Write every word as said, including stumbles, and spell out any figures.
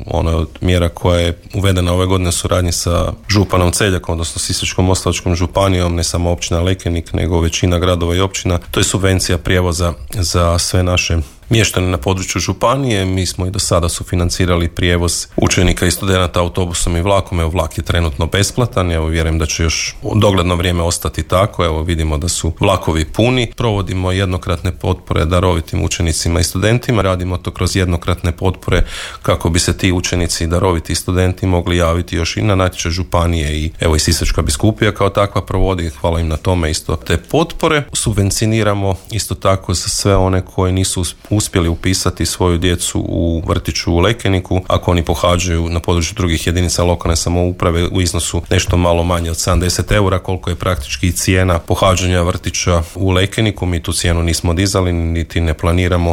ona je od mjera koja je uvedena ove godine u suradnji sa županom Celjakom, odnosno Sisačko-moslavačkom županijom, ne samo općina Lekenik, nego većina gradova i općina. To je subvencija prijevoza za sve naše mještane na području županije. Mi smo i do sada sufinancirali prijevoz učenika i studenata autobusom i vlakom. Evo, vlak je trenutno besplatan. Evo, vjerujem da će još u dogledno vrijeme ostati tako. Evo, vidimo da su vlakovi puni. Provodimo jednokratne potpore darovitim učenicima i studentima. Radimo to kroz jednokratne potpore kako bi se ti učenici i daroviti studenti mogli javiti još i na natječaj županije i evo i Sisačka biskupija kao takva provodi. Hvala im na tome isto te potpore. Subvencioniramo isto tako za sve one koji nisu uspjeli upisati svoju djecu u vrtiću u Lekeniku, ako oni pohađaju na području drugih jedinica lokalne samouprave u iznosu nešto malo manje od sedamdeset eura, koliko je praktički cijena pohađanja vrtića u Lekeniku. Mi tu cijenu nismo dizali, niti ne planiramo